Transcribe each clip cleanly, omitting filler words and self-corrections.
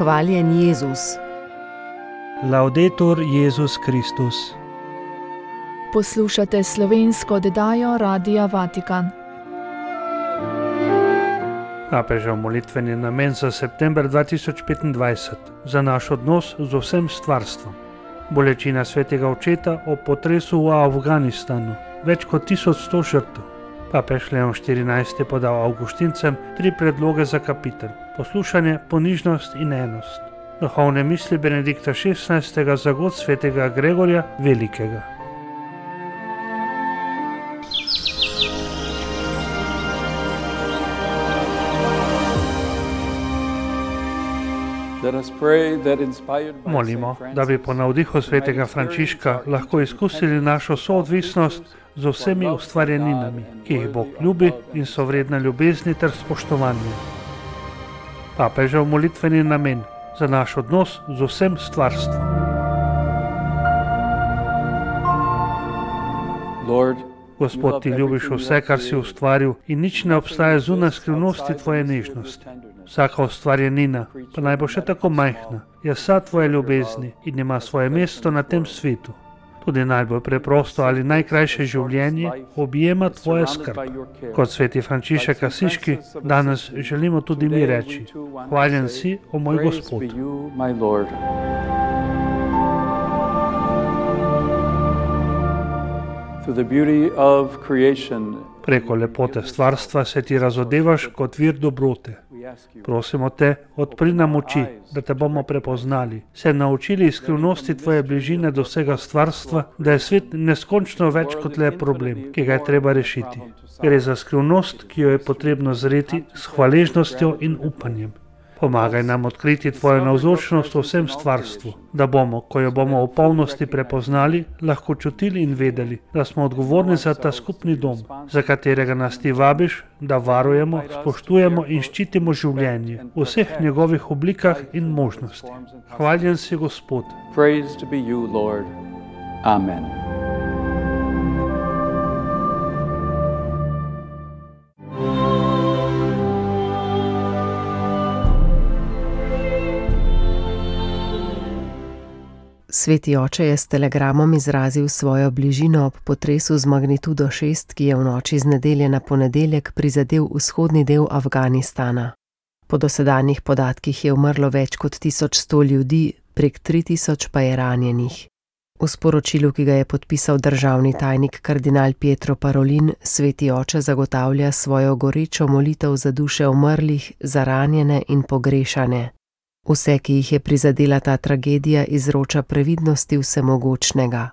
Hvaljen Jezus. Laudetur Jezus Kristus. Poslušate slovensko oddajo Radia Vatikan. Papežev molitveni namen za september 2025 za naš odnos z vsem stvarstvom. Bolečina svetega očeta o potresu v Afganistanu, več kot 1100 žrtev. Papež Leon XIV je podal avgustincem 3 predloge za kapitel: poslušanje, ponižnost in enost. Duhovne misli Benedikta XVI za god svetega Gregorja Velikega. Molimo, da bi po navdihu svetega Frančiška lahko izkusili našo soodvisnost z vsemi ustvarjeninami, ki jih Bog ljubi in so vredne ljubezni ter spoštovanja. Papežev molitveni namen za naš odnos z vsem stvarstvom. Gospod, ti ljubiš vse, kar si ustvaril, in nič ne obstaja zunaj skrivnosti tvoje nežnosti. Vsaka ustvarjenina, pa naj bo še tako majhna, je sad tvoje ljubezni in ima svoje mesto na tem svetu. Tudi najbolj preprosto ali najkrajše življenje objema tvoja skrb. Kot sveti Frančišek Asiški danes želimo tudi mi reči: hvaljen si, o moj Gospod. Preko lepote stvarstva se ti razodevaš kot vir dobrote. Prosimo te, odpri nam oči, da te bomo prepoznali, se naučili iz skrivnosti tvoje bližine do vsega stvarstva, da je svet neskončno več kot le problem, ki ga je treba rešiti. Gre za skrivnost, ki jo je potrebno zreti s hvaležnostjo in upanjem. Pomagaj nam odkriti tvojo navzočnost v vsem stvarstvu, da bomo, ko jo bomo v polnosti prepoznali, lahko čutili in vedeli, da smo odgovorni za ta skupni dom, za katerega nas ti vabiš, da varujemo, spoštujemo in ščitimo življenje v vseh njegovih oblikah in možnosti. Hvaljen si, Gospod. Praised be you, Lord. Amen. Sveti oče je s telegramom izrazil svojo bližino ob potresu z magnitudo 6, ki je v noči z nedelje na ponedeljek prizadel vzhodni del Afganistana. Po dosedanjih podatkih je umrlo več kot 1100 ljudi, prek 3000 pa je ranjenih. V sporočilu, ki ga je podpisal državni tajnik kardinal Pietro Parolin, sveti oče zagotavlja svojo gorečo molitev za duše umrlih, za ranjene in pogrešane. Vse, ki jih je prizadela ta tragedija, izroča previdnosti vsemogočnega.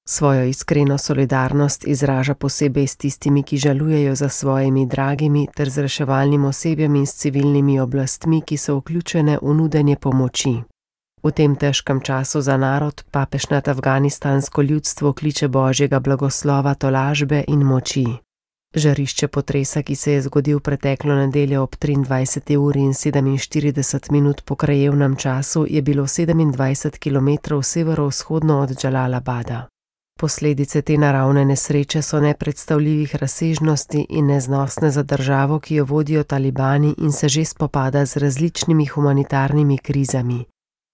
Svojo iskreno solidarnost izraža posebej s tistimi, ki žalujejo za svojimi dragimi, ter z reševalnim osebjem in s civilnimi oblastmi, ki so vključene v nudenje pomoči. V tem težkem času za narod papež nad afganistansko ljudstvo kliče Božjega blagoslova, tolažbe in moči. Žarišče potresa, ki se je zgodil preteklo nedeljo ob 23. uri in 47 minut po krajevnem času, je bilo 27 km severovzhodno od Džalalabada. Posledice te naravne nesreče so nepredstavljivih razsežnosti in neznosne za državo, ki jo vodijo talibani in se že spopada z različnimi humanitarnimi krizami.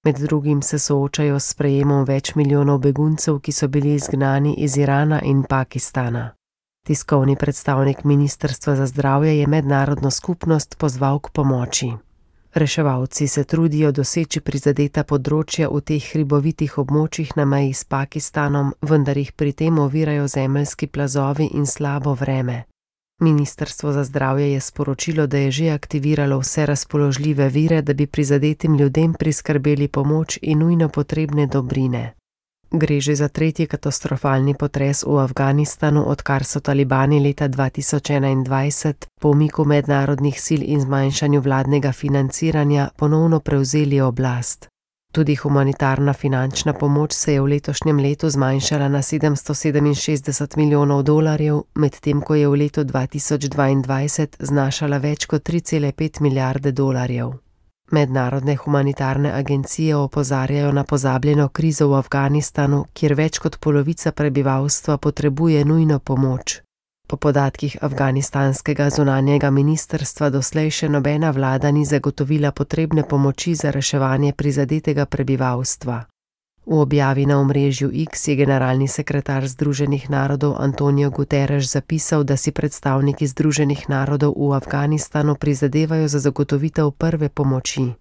Med drugim se soočajo s sprejemom več milijonov beguncev, ki so bili izgnani iz Irana in Pakistana. Tiskovni predstavnik Ministrstva za zdravje je mednarodno skupnost pozval k pomoči. Reševalci se trudijo doseči prizadeta področja v teh hribovitih območjih na meji s Pakistanom, vendar jih pri tem ovirajo zemeljski plazovi in slabo vreme. Ministrstvo za zdravje je sporočilo, da je že aktiviralo vse razpoložljive vire, da bi prizadetim ljudem priskrbeli pomoč in nujno potrebne dobrine. Gre že za 3. katastrofalni potres v Afganistanu, odkar so talibani leta 2021 po umiku mednarodnih sil in zmanjšanju vladnega financiranja ponovno prevzeli oblast. Tudi humanitarna finančna pomoč se je v letošnjem letu zmanjšala na $767 milijonov, medtem ko je v letu 2022 znašala več kot $3,5 milijarde. Mednarodne humanitarne agencije opozarjajo na pozabljeno krizo v Afganistanu, kjer več kot polovica prebivalstva potrebuje nujno pomoč. Po podatkih afganistanskega zunanjega ministrstva doslej še nobena vlada ni zagotovila potrebne pomoči za reševanje prizadetega prebivalstva. V objavi na omrežju X je generalni sekretar Združenih narodov Antonio Guterres zapisal, da si predstavniki Združenih narodov v Afganistanu prizadevajo za zagotovitev prve pomoči.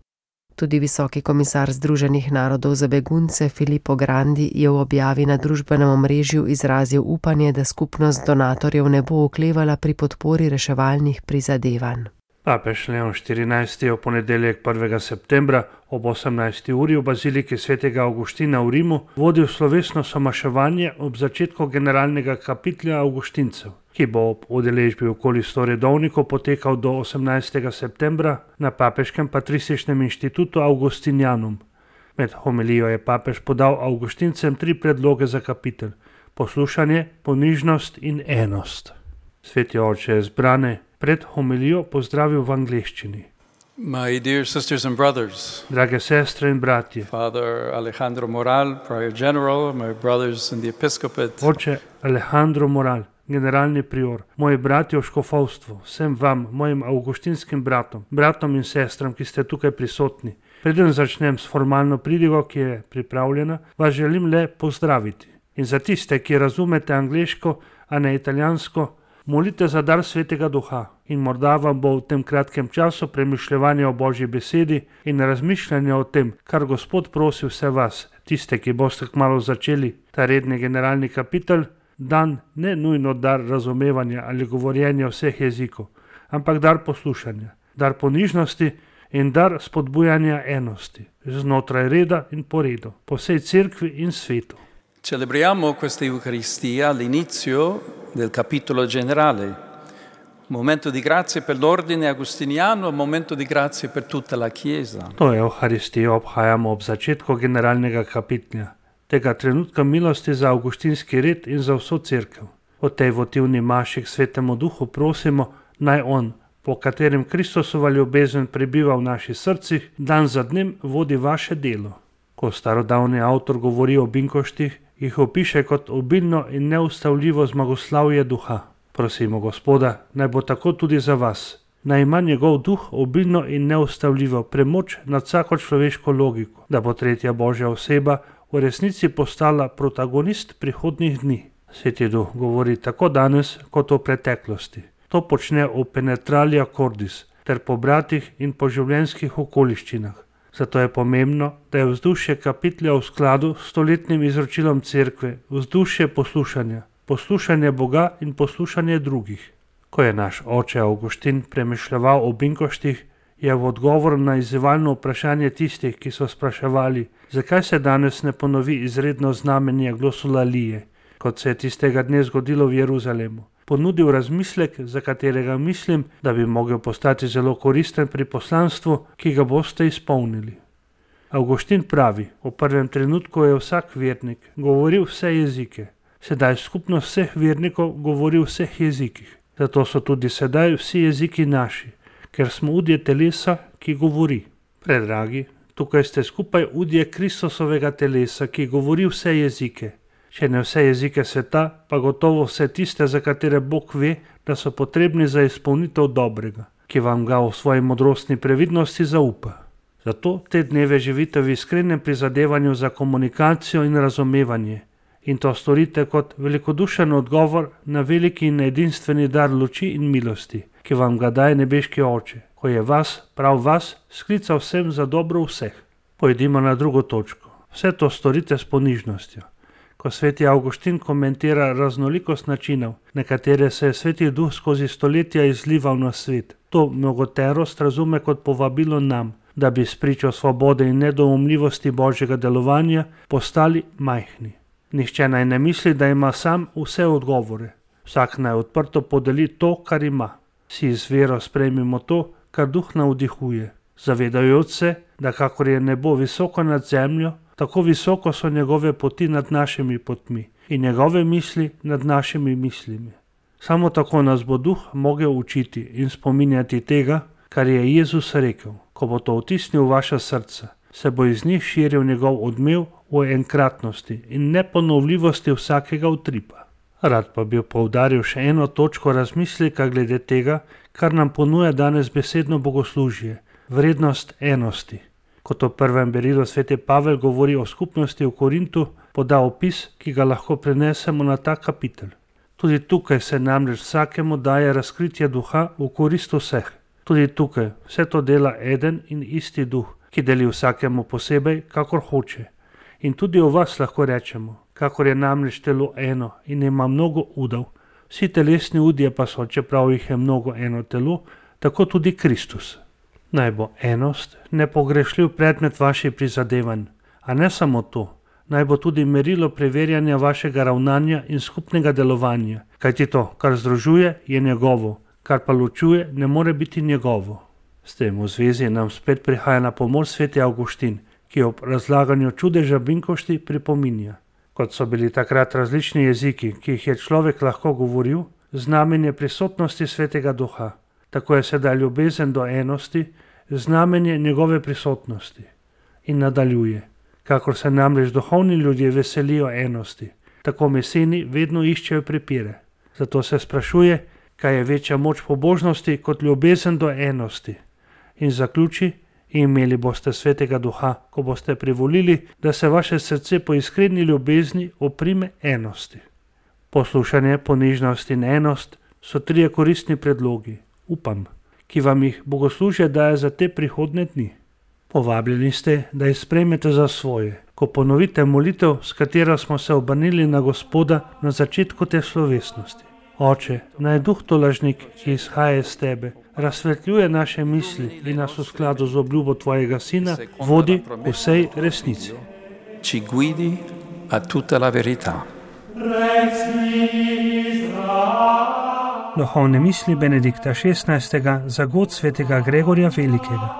Tudi visoki komisar Združenih narodov za begunce Filippo Grandi je v objavi na družbenem omrežju izrazil upanje, da skupnost donatorjev ne bo oklevala pri podpori reševalnih prizadevanj. Papež Leon XIV je v ponedeljek 1. septembra ob 18. uri v baziliki svetega Avguština v Rimu vodil slovesno somaševanje ob začetku generalnega kapitlja Avguštincev, ki bo ob udeležbi okoli 100 redovnikov potekal do 18. septembra na Papeškem patrističnem inštitutu Augustinianum. Med homilijo je papež podal Avguštincem 3 predloge za kapitelj: poslušanje, ponižnost in enost. Sveti oče je zbrane pred homilijo pozdravil v angleščini. My dear sisters and brothers, Drage sestre in bratje, Father Alejandro Moral, Prior General, my brothers in the Episcopate, oče Alejandro Moral, generalni prior, moji bratje v škofovstvu, vsem vam, mojim avguštinskim bratom in sestram, ki ste tukaj prisotni. Preden začnem s formalno pridigo, ki je pripravljena, vas želim le pozdraviti. In za tiste, ki razumete angleško, a ne italijansko, molite za dar Svetega Duha in morda vam bo v tem kratkem času premišljevanja o Božji besedi in razmišljanja o tem, kar Gospod prosi vse vas, tiste, ki boste kmalu začeli ta redni generalni kapitel, dan ne nujno dar razumevanja ali govorjenja vseh jezikov, ampak dar poslušanja, dar ponižnosti in dar spodbujanja enosti, znotraj reda in po redu, po vsej cerkvi in svetu. celebriamo questa Eucaristia all'inizio del capitolo generale, un momento di grazia per l'ordine agustiniano, un momento di grazia per tutta la Chiesa. To Euharistijo obhajamo ob začetku generalnega kapitlja, tega trenutka milosti za avguštinski red in za vso cerkev. O tej votivni maši k Svetemu Duhu prosimo, naj on, po katerem Kristusova ljubezen prebiva v naših srcih, dan za dnem vodi vaše delo. Ko starodavni avtor govori o binkoštih, jih opiše kot obilno in neustavljivo zmagoslavje duha. Prosimo Gospoda, naj bo tako tudi za vas. Naj ima njegov duh obilno in neustavljivo premoč nad vsako človeško logiko, da bo tretja Božja oseba v resnici postala protagonist prihodnjih dni. Sveti Duh govori tako danes kot v preteklosti. To počne v penetralia cordis ter po bratih in po življenjskih okoliščinah. Zato je pomembno, da je vzdušje kapitlja v skladu s stoletnim izročilom cerkve, vzdušje poslušanja, poslušanje Boga in poslušanje drugih. Ko je naš oče Avguštin premišljeval o binkoštih, je v odgovor na izzivalno vprašanje tistih, ki so spraševali, zakaj se danes ne ponovi izredno znamenje glosolalije, kot se je tistega dne zgodilo v Jeruzalemu, ponudil razmislek, za katerega mislim, da bi mogel postati zelo koristen pri poslanstvu, ki ga boste izpolnili. Avguštin pravi, v prvem trenutku je vsak vernik govoril vse jezike, sedaj skupnost vseh vernikov govori v vseh jezikih. Zato so tudi sedaj vsi jeziki naši, ker smo udje telesa, ki govori. Predragi, tukaj ste skupaj udje Kristusovega telesa, ki govori vse jezike. Če ne vse jezike sveta, pa gotovo vse tiste, za katere Bog ve, da so potrebni za izpolnitev dobrega, ki vam ga v svoji modrostni previdnosti zaupa. Zato te dneve živite v iskrenem prizadevanju za komunikacijo in razumevanje in to storite kot velikodušen odgovor na veliki in edinstveni dar luči in milosti, ki vam ga daje nebeški Oče, ko je vas, prav vas, sklical vsem za dobro vseh. Pojdimo na drugo točko. Vse to storite s ponižnostjo. Ko sveti Avguštin komentira raznolikost načinov, na katere se je Sveti Duh skozi stoletja izlival na svet, to mnogoterost razume kot povabilo nam, da bi spričo svobode in nedoumljivosti Božjega delovanja postali majhni. Nihče naj ne misli, da ima sam vse odgovore. Vsak naj odprto podeli to, kar ima. Vsi z vero sprejmimo to, kar Duh navdihuje, zavedajoč se, da kakor je nebo visoko nad zemljo, tako visoko so njegove poti nad našimi potmi in njegove misli nad našimi mislimi. Samo tako nas bo Duh mogel učiti in spominjati tega, kar je Jezus rekel. Ko bo to vtisnil v vaša srca, se bo iz njih širil njegov odmev v enkratnosti in neponovljivosti vsakega utripa. Rad pa bi poudaril še eno točko razmisleka glede tega, kar nam ponuja danes besedno bogoslužje, vrednost enosti. Kot v prvem berilu sveti Pavel govori o skupnosti v Korintu, poda opis, ki ga lahko prenesemo na ta kapitel. Tudi tukaj se namreč vsakemu daje razkritje duha v korist vseh. Tudi tukaj vse to dela eden in isti duh, ki deli vsakemu posebej, kakor hoče. In tudi o vas lahko rečemo, kakor je namreč telo eno in ima mnogo udov, vsi telesni udje pa so, čeprav jih je mnogo eno telo, tako tudi Kristus. Naj bo enost nepogrešljiv predmet vaših prizadevanj, a ne samo to, naj bo tudi merilo preverjanja vašega ravnanja in skupnega delovanja, kajti to, kar združuje, je njegovo, kar pa ločuje, ne more biti njegovo. S tem v zvezi nam spet prihaja na pomoč sveti Avguštin, ki ob razlaganju čudeža binkošti pripominja. Kot so bili takrat različni jeziki, ki jih je človek lahko govoril, znamenje prisotnosti svetega duha. Tako je sedaj ljubezen do enosti, znamenje njegove prisotnosti. In nadaljuje, kakor se namreč duhovni ljudje veselijo enosti, tako meseni vedno iščejo prepire. Zato se sprašuje, kaj je večja moč pobožnosti kot ljubezen do enosti. In zaključi, imeli boste svetega duha, ko boste privolili, da se vaše srce po iskreni ljubezni oprime enosti. Poslušanje, ponižnost in enost so trije koristni predlogi, upam, ki vam jih bogoslužje daje za te prihodne dni. Povabljeni ste, da jih sprejmete za svoje, ko ponovite molitev, s katero smo se obrnili na Gospoda na začetku te slovesnosti. Oče, naj duh tolažnik, ki izhaja iz tebe, razsvetljuje naše misli in nas v skladu z obljubo tvojega sina vodi v vsej resnici. Ci guidi a tutta la verità. Duhovne misli Benedikta XVI. Za god svetega Gregorja Velikega.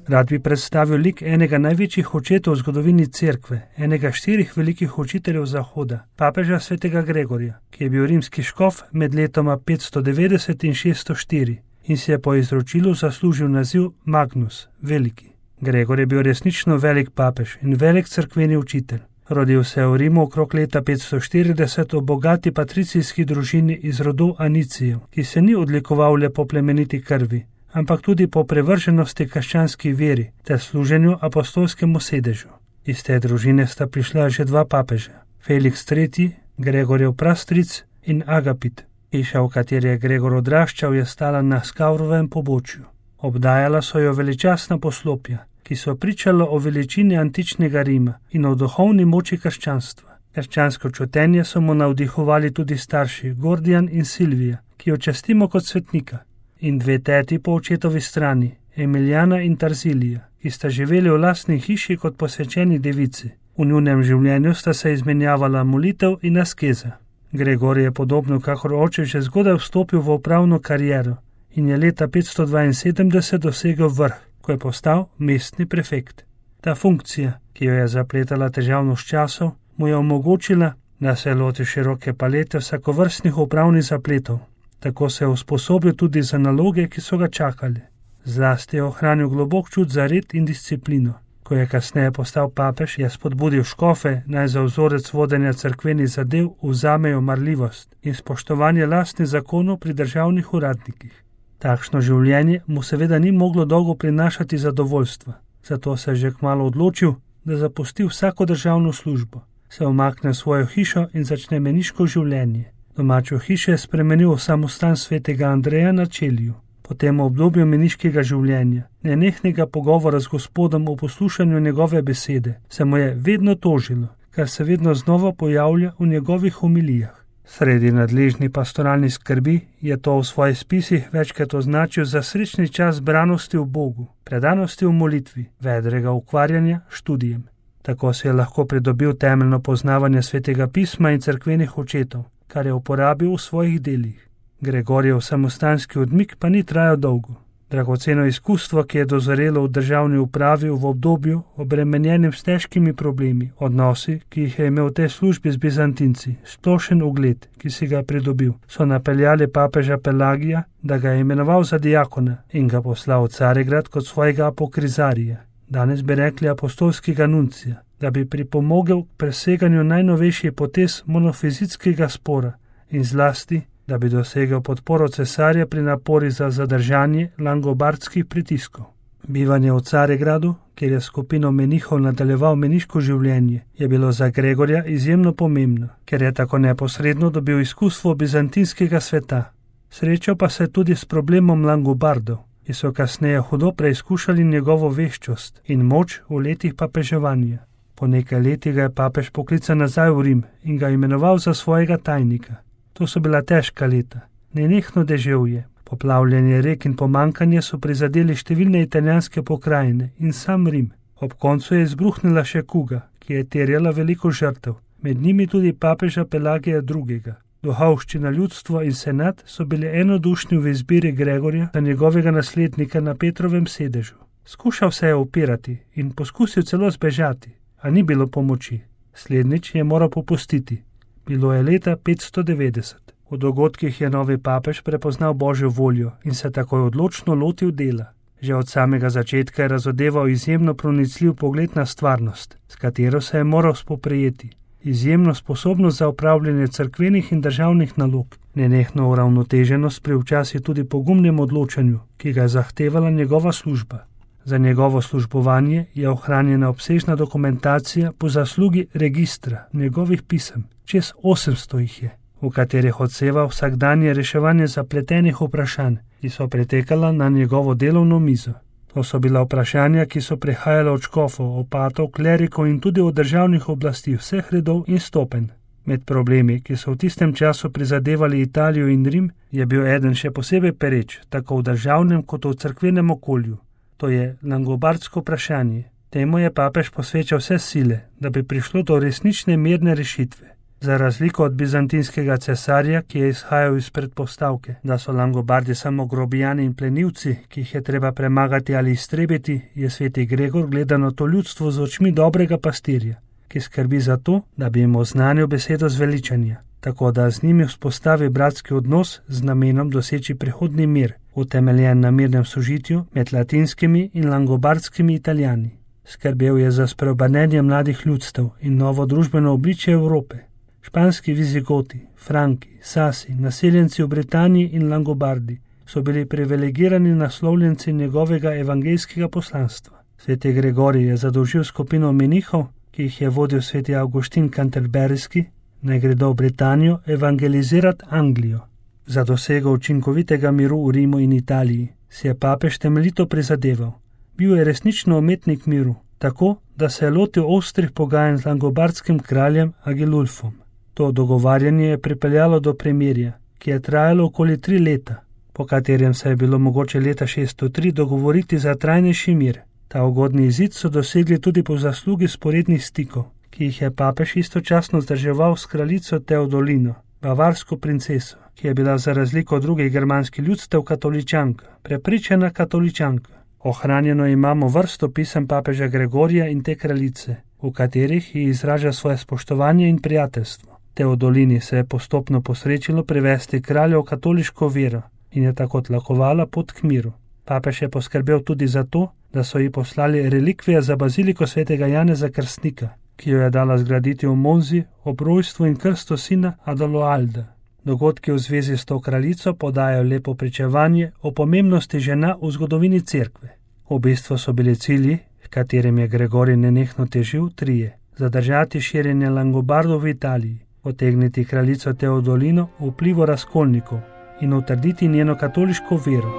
Rad bi predstavil lik enega največjih očetov v zgodovini cerkve, enega 4 velikih učiteljev Zahoda, papeža svetega Gregorja, ki je bil rimski škof med letoma 590 in 604 in si je po izročilu zaslužil naziv Magnus, veliki. Gregor je bil resnično velik papež in velik cerkveni učitelj. Rodil se je v Rimu okrog leta 540 v bogati patricijski družini iz rodu Anicijev, ki se ni odlikoval le po plemeniti krvi, ampak tudi po prevrženosti krščanski veri ter služenju apostolskemu sedežu. Iz te družine sta prišla že 2 papeža, Felix III., Gregorjev prastric in Agapit. Hiša, v kateri je Gregor odraščal, je stala na Skavrovem pobočju. Obdajala so jo veličastna poslopja, ki so pričala o veličini antičnega Rima in o duhovni moči krščanstva. Krščansko čutenje so mu navdihovali tudi starši Gordijan in Silvija, ki jo častimo kot svetnika, in 2 teti po očetovi strani, Emiljana in Tarzilija, ki sta živeli v lastni hiši kot posvečeni devici. V njunem življenju sta se izmenjavala molitev in askeza. Gregor je podobno kakor oče že zgodaj vstopil v upravno kariero in je leta 572 dosegel vrh, ko je postal mestni prefekt. Ta funkcija, ki jo je zapletala težavnost časov, mu je omogočila, da se loti široke palete vsakovrstnih upravnih zapletov. Tako se je usposobil tudi za naloge, ki so ga čakali. Zlasti je ohranil globok čut za red in disciplino. Ko je kasneje postal papež, je spodbudil škofe, naj za vzorec vodenja cerkvenih zadev vzamejo marljivost in spoštovanje lastnih zakonov pri državnih uradnikih. Takšno življenje mu seveda ni moglo dolgo prinašati zadovoljstva, zato se je že kmalu odločil, da zapusti vsako državno službo, se umakne v svojo hišo in začne meniško življenje. Domačo hišo je spremenil v samostan svetega Andreja na Čeliju. Po tem obdobju meniškega življenja, nenehnega pogovora z Gospodom o poslušanju njegove besede, se mu je vedno tožilo, kar se vedno znova pojavlja v njegovih homilijah. Sredi nadležni pastoralni skrbi je to v svojih spisih večkrat označil za srečni čas zbranosti v Bogu, predanosti v molitvi, vedrega ukvarjanja študijem. Tako se je lahko pridobil temeljno poznavanje svetega pisma in cerkvenih očetov, kar je uporabil v svojih delih. Gregorjev samostanski odmik pa ni trajal dolgo. Dragoceno izkustvo, ki je dozorelo v državni upravi v obdobju obremenjenim s težkimi problemi, odnosi, ki jih je imel v tej službi z Bizantinci, splošen ugled, ki si ga pridobil, so napeljali papeža Pelagija, da ga je imenoval za diakona in ga poslal v Carigrad kot svojega apokrizarija, danes bi rekli apostolskega nuncija, da bi pripomogel k preseganju najnovejših potez monofizitskega spora in zlasti, da bi dosegel podporo cesarja pri napori za zadržanje langobardskih pritiskov. Bivanje v Carigradu, kjer je skupino menihov nadaljeval meniško življenje, je bilo za Gregorja izjemno pomembno, ker je tako neposredno dobil izkustvo bizantinskega sveta. Srečal pa se tudi s problemom Langobardov, ki so kasneje hudo preizkušali njegovo veščost in moč v letih papeževanja. Po nekaj letih ga je papež poklical nazaj v Rim in ga imenoval za svojega tajnika. To so bila težka leta. Nenehno deževje, poplavljanje rek in pomankanje so prizadeli številne italijanske pokrajine in sam Rim. Ob koncu je izbruhnila še kuga, ki je terjala veliko žrtev, med njimi tudi papeža Pelagija II. Duhovščina, ljudstvo in senat so bili enodušni v izbiri Gregorja za njegovega naslednika na Petrovem sedežu. Skušal se je upirati in poskusil celo zbežati, a ni bilo pomoči. Slednjič je moral popustiti. Bilo je leta 590. V dogodkih je novi papež prepoznal Božjo voljo in se takoj odločno lotil dela. Že od samega začetka je razodeval izjemno pronicljiv pogled na stvarnost, s katero se je moral spoprijeti. Izjemno sposobnost za upravljanje cerkvenih in državnih nalog, nenehno uravnoteženost pri včasih tudi pogumnem odločanju, ki ga je zahtevala njegova služba. Za njegovo službovanje je ohranjena obsežna dokumentacija po zaslugi registra njegovih pisem, čez 800 jih je, v katerih odseva vsakdanje reševanje zapletenih vprašanj, ki so pretekala na njegovo delovno mizo. To so bila vprašanja, ki so prihajala od škofov, opatov, klerikov in tudi od državnih oblasti vseh redov in stopenj. Med problemi, ki so v tistem času prizadevali Italijo in Rim, je bil eden še posebej pereč, tako v državnem kot v cerkvenem okolju. To je langobardsko vprašanje. Temu je papež posvečal vse sile, da bi prišlo do resnične mirne rešitve. Za razliko od bizantinskega cesarja, ki je izhajal iz predpostavke, da so Langobardi samo grobijani in plenilci, ki jih je treba premagati ali iztrebiti, je sveti Gregor gledano to ljudstvo z očmi dobrega pastirja, ki skrbi za to, da bi jim oznanil besedo zveličanja, tako da z njimi vzpostavi bratski odnos z namenom doseči prihodni mir, utemeljen na mirnem sožitju med latinskimi in langobardskimi Italijani. Skrbel je za spreobrnenje mladih ljudstev in novo družbeno obličje Evrope. Španski vizigoti, Franki, Sasi, naseljenci v Britaniji in Langobardi so bili privilegirani naslovljenci njegovega evangelijskega poslanstva. Sveti Gregorij je zadolžil skupino menihov, ki jih je vodil sveti Avguštin Canterburyski, naj gredo v Britanijo evangelizirati Anglijo. Za dosego učinkovitega miru v Rimu in Italiji si je papež temeljito prizadeval. Bil je resnično umetnik miru, tako, da se je lotil ostrih pogajanj z langobardskim kraljem Agilulfom. To dogovarjanje je pripeljalo do premirja, ki je trajalo okoli 3 leta, po katerem se je bilo mogoče leta 603 dogovoriti za trajnejši mir. Ta ugodni izid so dosegli tudi po zaslugi sporednih stikov, ki jih je papež istočasno vzdrževal s kraljico Teodolino, bavarsko princeso, ki je bila za razliko od drugih germanskih ljudstev katoličanka, prepričana katoličanka. Ohranjeno imamo vrsto pisem papeža Gregorija in te kraljice, v katerih ji izraža svoje spoštovanje in prijateljstvo. Teodolini se je postopno posrečilo privesti kralja v katoliško vero in je tako tlakovala pot k miru. Papež je poskrbel tudi za to, da so ji poslali relikvije za baziliko svetega Janeza Krstnika, ki jo je dala zgraditi v Monzi ob rojstvu in krstu sina Adaloalda. Dogodki v zvezi s to kraljico podajo lepo pričevanje o pomembnosti žena v zgodovini cerkve. V bistvu so bili cilji, h katerim je Gregorij nenehno težil, 3: zadržati širjenje Langobardov v Italiji, potegniti kraljico Teodolino v vplivu razkolnikov in utrditi njeno katoliško vero.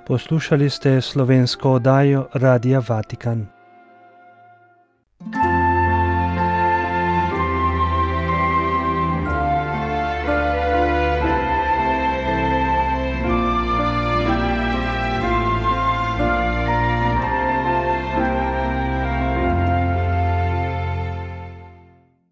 Poslušali ste slovensko oddajo Radia Vatikan.